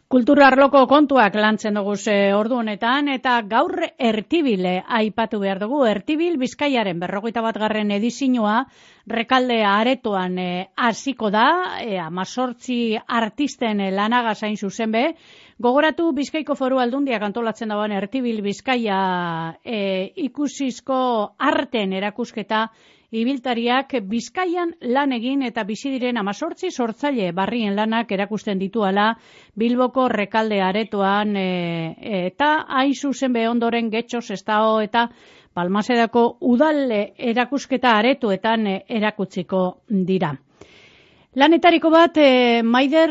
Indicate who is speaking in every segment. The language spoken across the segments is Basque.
Speaker 1: Kultura arloko kontuak lantzen dugu ordu honetan, eta gaur Ertibile aipatu behar dugu. Ertibil Bizkaiaren 41. edizioa Rekalde aretoan hasiko da, 18 artisten lanagaz hain zuzen be. Gogoratu Bizkaiko Foru Aldundiak antolatzen dagoen Ertibil Bizkaia ikusizko arten erakusketa ibiltariak Bizkaian lan egin eta bizi diren 18 sortzaile barrien lanak erakusten dituala Bilboko Rekalde aretoan eta hain zuzen be ondoren Getxo, Sestao eta Balmasedako udal erakusketa aretoetan erakutsiko dira. Lanetariko bat Maider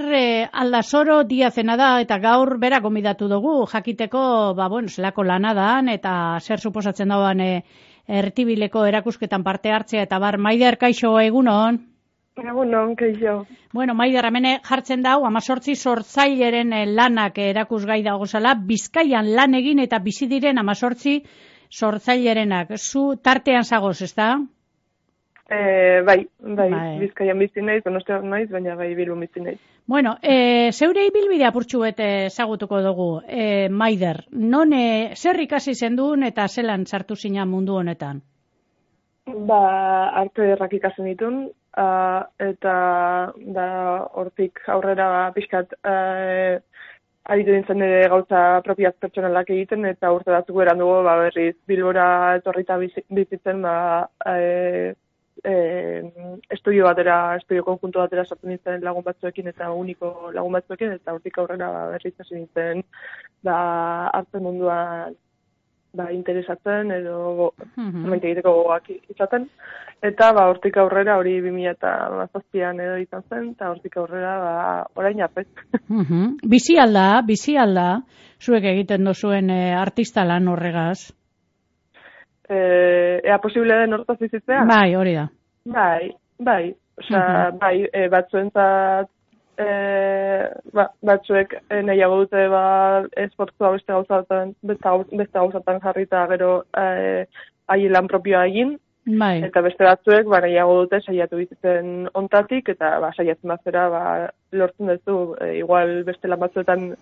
Speaker 1: Aldasoro Diazena da eta gaur bera gonbidatu dugu jakiteko zelako lana da eta zer suposatzen dagoen Ertibileko erakusketan parte hartzea eta bar. Maider, kaixo, egunon?
Speaker 2: Egunon, kaixo.
Speaker 1: Bueno, Maider, hemen jartzen dau 18 sortzaileren lanak erakusgai dagozala, Bizkaian lan egin eta bizi diren 18 sortzailerenak. Zu tartean zagoz, ezta?
Speaker 2: Bai, Bizkaian bizi naiz, Donostian naiz, baina bai Bilbon bizi naiz.
Speaker 1: Bueno, zeure ibilbide apurtxu ezagutuko dugu, Maider. Non zer ikasi zendun eta zelan sartu zina mundu honetan?
Speaker 2: Arte ederrak ikasen ditun, eta hortik aurrera pixkat aritu nintzen ere gauza propiaz pertsonalak egiten, eta urte batzuk eran dugu berriz Bilbora etorrita bizitzen estudio konjunto batera sartu nintzen lagun batzuekin eta uniko lagun batzuekin, eta hortik aurrera berriz hasi nintzen arte munduan interesatzen edo maite egiteko gogoak izaten, eta hortik aurrera hori 2007an edo izan zen, eta hortik aurrera orain arte.
Speaker 1: Bizi alda, zuek egiten duzuen artista lan horregaz?
Speaker 2: Ea posible den hortaz bizitzea?
Speaker 1: Bai, hori da.
Speaker 2: Bai. Osea, batzuentzat batzuek nahiago dute esfortzua beste gauzatan jarrita gero haien lan propioa egin,
Speaker 1: bai.
Speaker 2: Eta beste batzuek nahiago dute saiatu bizitzen ontatik, eta saiatzen bazera lortzen duzu, igual beste lan batzuetan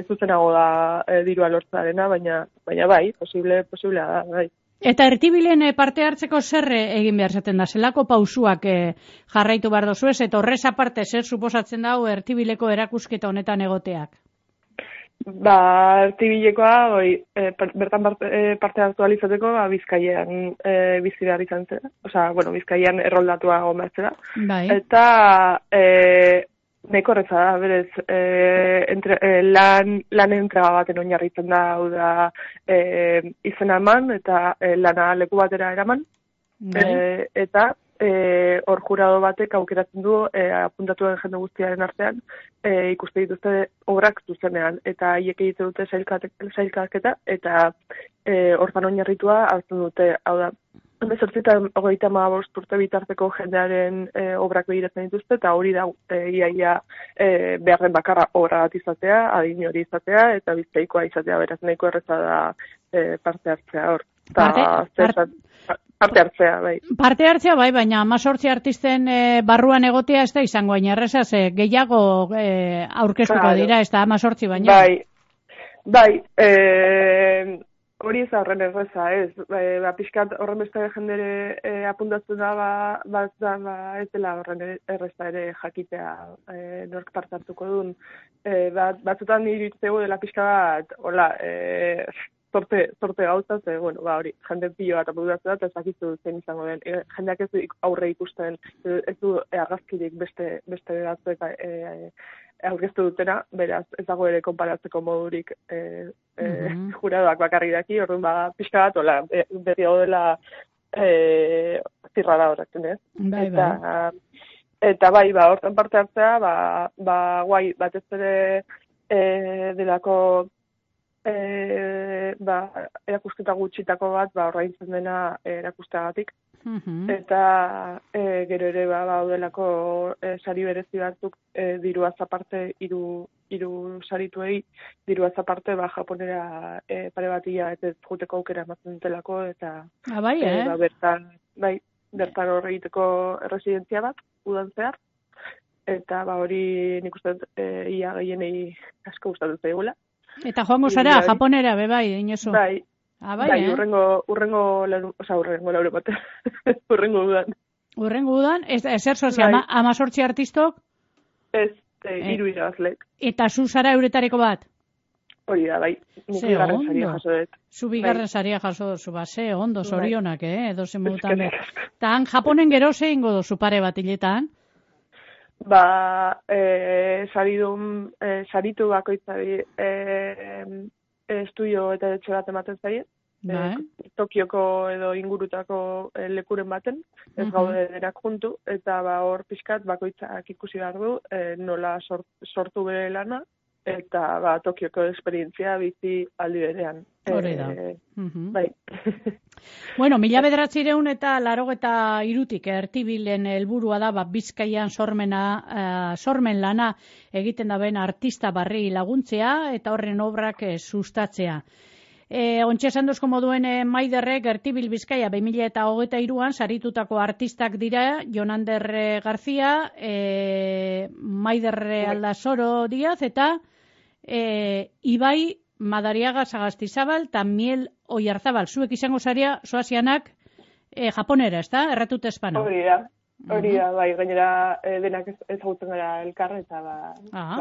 Speaker 2: zuzenago da dirua lortzearena, baina bai, posiblea da, bai.
Speaker 1: Eta Ertibilen parte hartzeko zer egin behar zaten da? Zelako pausuak jarraitu behar dozu ez? Eta horrez aparte zer suposatzen dau Ertibileko erakusketa honetan egoteak?
Speaker 2: Ertibilekoa bertan parte hartu alizateko Bizkaian bizi behar izan zen. Osea, Bizkaian erroldatua gomatzera.
Speaker 1: Bai.
Speaker 2: Eta nahiko horretza da, berez, lan entrega baten oinarritzen da, hau da, izena eman eta lana leku batera eraman. Eta hor jurado batek aukeratzen du apuntatuen jende guztiaren artean ikuste dituzte obrak zuzenean, eta haiek egiten dute sailkaketa, eta hortan oinarritua hartzen dute, hau da, 18-35 urte bitarteko jendearen obrak begiratzen dituzte, eta hori da iaia beharren bakarra obra bat izatea, adin hori izatea, eta Bizkaikoa izatea, beraz nahiko erreza da parte hartzea hor. Parte hartzea, bai. Parte
Speaker 1: hartzea, bai, baina 18 artisten barruan egotea ez da izango erreza, gehiago aurkeztuko dira, ez da 18 baina.
Speaker 2: Bai, hori ez horren erreza, ez. Pixkat horren beste jendere apuntatzen da, ez dela horren erreza ere jakitea nork parte hartuko duen. Batzutan iritzegu dela pixka bat, hola, sorte gauzaz, hori, jende pilo bat apuntatzen da, eta ezakizu zen izango den. Jendeak ez du aurre ikusten, ez du argazkirik beste batzuek aurkeztu dutena, beraz, ez dago ere konparatzeko modurik juradoak bakarrik daki, orduan pixka bat, hola, berri hau dela zirrara horretzen, ez? Eta bai, hortan parte hartzea, guai, batez ere delako erakusketa gutxitako bat, orraintzen dena erakusteagatik. Eta gero ere daudelako sari berezi batzuk diruaz aparte, hiru sarituei diruaz aparte japonera pare bat hilabete joateko aukera ematen dutelako, eta bertan hor egiteko erresidentzia bat, udan zehar. eta ba hori nik uste ia gehienei asko gustatzen zaigula.
Speaker 1: Eta joango zara, japonera, bai, inozu.
Speaker 2: Bai,
Speaker 1: bai,
Speaker 2: urrengo lauro bat. Urrengo udan.
Speaker 1: Urrengo udan, ezer sozia, 18 artistok?
Speaker 2: Ez, 3 irabazlek.
Speaker 1: Eta zu zara euretareko bat?
Speaker 2: Hori da, bai. Nik bigarren saria jaso dut.
Speaker 1: Zu bigarren saria jaso duzu, ze ondo, zorionak, edo zen modutan. Eta han Japonen gero zein godo pare bat hiletan?
Speaker 2: Ba, saritu bakoitzari estudio eta etxe bat ematen zaie. Tokioko edo ingurutako lekuren baten, ez gaude denak juntu, eta ba hor pixkat bakoitzak ikusi behar du nola sortu bere lana, eta ba Tokioko esperientzia bizi aldi berean.
Speaker 1: Hori da.
Speaker 2: Bai.
Speaker 1: Bueno, 1983 Ertibilen helburua da Bizkaian sormen lana egiten daben artista barri laguntzea eta horren obrak sustatzea. Ontxe esan duzko moduen Maiderrek Ertibil Bizkaia 2023an saritutako artistak dira Jonander Garzia, Maider Aldasoro Díaz eta Ibai Madariaga Sagastizabal eta Miel Oiarzabal. Zuek izango zaria soazianak japonera, ez da? Erratut espano.
Speaker 2: Hori da, bai, gainera denak ezagutzen gara elkarra eta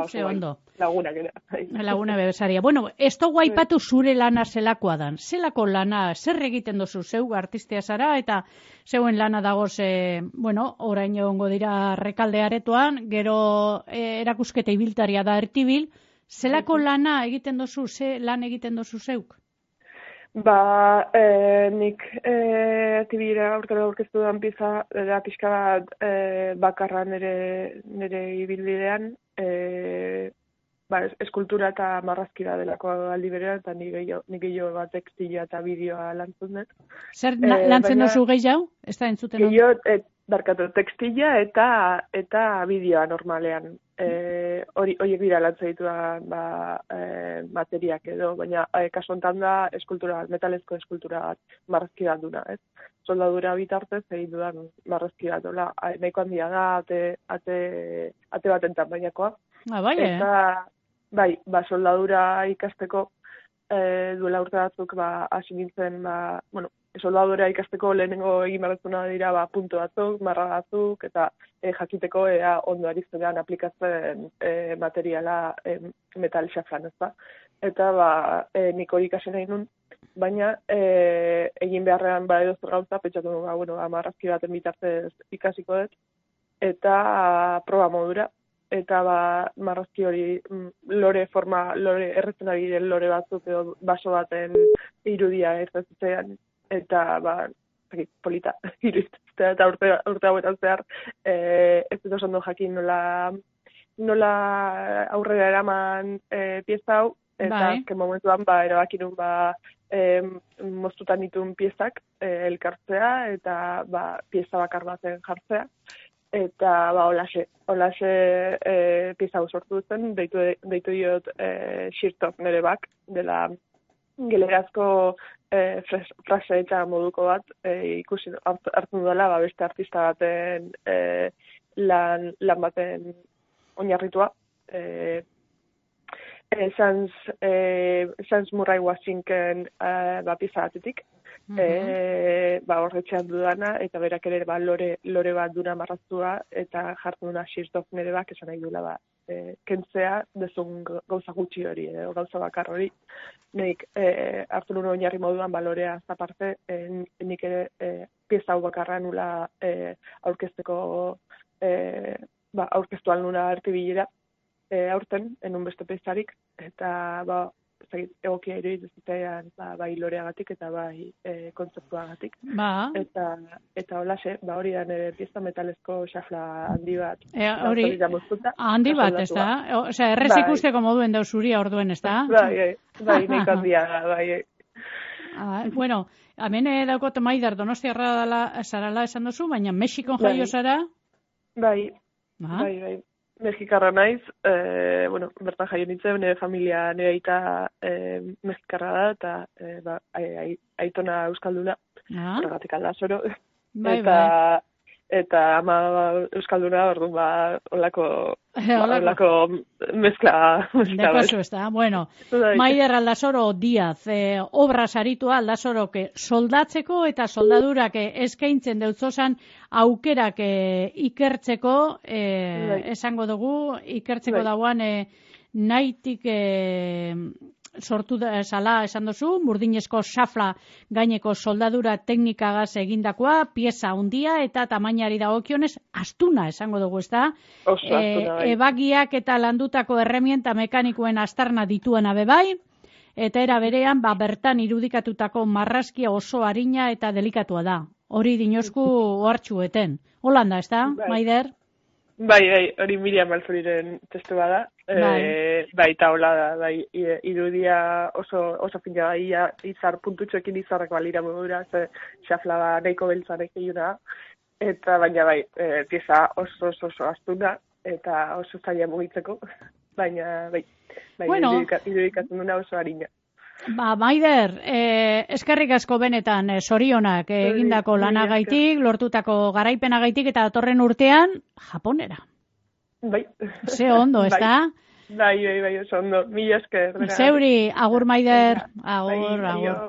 Speaker 1: ze ondo.
Speaker 2: Lagunak era.
Speaker 1: Laguna bebesaria. Bueno, ez dugu aipatu zure lana zelakoa dan. Zelako lana, zer egiten dozu zeu artistea zara eta zeuen lana dagoz, orain egongo dira Rekalde aretoan, gero erakusketa ibiltaria da Ertibil. Zelako lana egiten dozu, ze lan egiten dozu zeuk?
Speaker 2: Ba, nik Ertibira aurkara aurkeztu duan pieza, da pixka bat bakarra nire ibilbidean, eskultura eta marrazkira delako aldi berean, eta nik gehiago bat tekstila eta bideoa lantzun dut.
Speaker 1: Zer lantzen dozu gehiago? Ez da entzuten?
Speaker 2: Gehiago, tekstila eta bideoa normalean. Horiek dira lantzen dituan materiak edo, baina kasu honetan da eskultura, metalezko eskultura bat marrazki bat duna, ez? Soldadura bitartez egin dudan marrazki bat, nahiko handia da, ate baten tamainakoa. Eta, soldadura ikasteko duela urte batzuk hasi nintzen, soldadura ikasteko lehenengo egin behar dira punto batzuk, marra batzuk, eta jakiteko ondo ari zenean aplikatzen materiala metal xafran, ez da. Eta nik hori ikasi nahi nun, baina egin beharrean edozer gauza, pentsatu nun, marrazki baten bitartez ikasiko dut, eta proba modura. Eta marrazki hori lore erretzen ari den lore batzuk edo baso baten irudia erretzean, eta polita iruditzea, eta urte hauetan zehar ez dut oso ondo jakin nola aurrera eraman pieza hau, eta azken momentuan erabaki nun moztutan ditun piezak elkartzea eta pieza bakar baten jartzea. Eta olaxe pieza hau sortu zen, deitu diot Shirtov nere bak, dela gelerazko frase eta moduko bat ikusi hartzen dela beste artista baten lan baten oinarritua. Sans Murray Washington pieza batetik. Horretxean dudana, eta berak ere lore bat duna marraztua, eta jartzen duna Shirtov nere bak, esan nahi duela kentzea dezun gauza gutxi hori, gauza bakar hori. Nik hartu nuen oinarri moduan lorea zaparte, nik ere pieza hau bakarra nula aurkezteko, aurkeztu alnuna Ertibilera aurten, enun beste piezarik, eta egokia iruditzen bai loreagatik eta bai kontzeptuagatik. Eta holaxe, hori da nire pieza metalezko xafla handi bat.
Speaker 1: Handi bat, ez da? Osea, errez ikusteko moduen dauzuria orduen, ez da?
Speaker 2: Bai, nik handia, bai.
Speaker 1: Bueno, hemen daukot Maider Donostiarra zarala esan duzu, baina Mexikon jaio zara? Bai.
Speaker 2: Mexikarra naiz, bertan jaio nintzen, nire familia, nire aita mexikarra da, eta aitona euskalduna, horregatik Aldasoro. Eta eta ama euskalduna, orduan olako mezkla
Speaker 1: Dekozu, ez da. Bueno, Maider Aldasoro Diaz, obra saritua Aldasorok soldatzeko eta soldadurak eskaintzen deutzozan aukerak ikertzeko, esango dugu, ikertzeko dauan nahitik sortu sala esan duzu, burdinezko xafla gaineko soldadura teknikagaz egindakoa, pieza handia eta tamainari dagokionez astuna esango dugu, ezta?
Speaker 2: Oso astuna, bai.
Speaker 1: Ebagiak eta landutako erremienta mekanikoen astarna dituena bebai, eta era berean, bertan irudikatutako marrazkia oso arina eta delikatua da. Hori dinosku ohartxueten. Holanda, ezta, Maider?
Speaker 2: Bai, hori Miriam Alzuriren testu bada. Bai, eta hola da, bai, irudia oso fina da, izar puntutxoekin izarrak balira modura, xafla nahiko beltzarek eguna, eta baina bai, pieza oso astuna, eta oso zaila mugitzeko, baina bai, bueno, irudikatzen duna oso harina.
Speaker 1: Maider, eskerrik asko benetan zorionak egindako lanagaitik, lortutako garaipenagaitik eta datorren urtean Japonera.
Speaker 2: Bai.
Speaker 1: Ze ondo, ez da?
Speaker 2: Bai, oso ondo. Mila esker.
Speaker 1: Zeuri, agur Maider. Agur.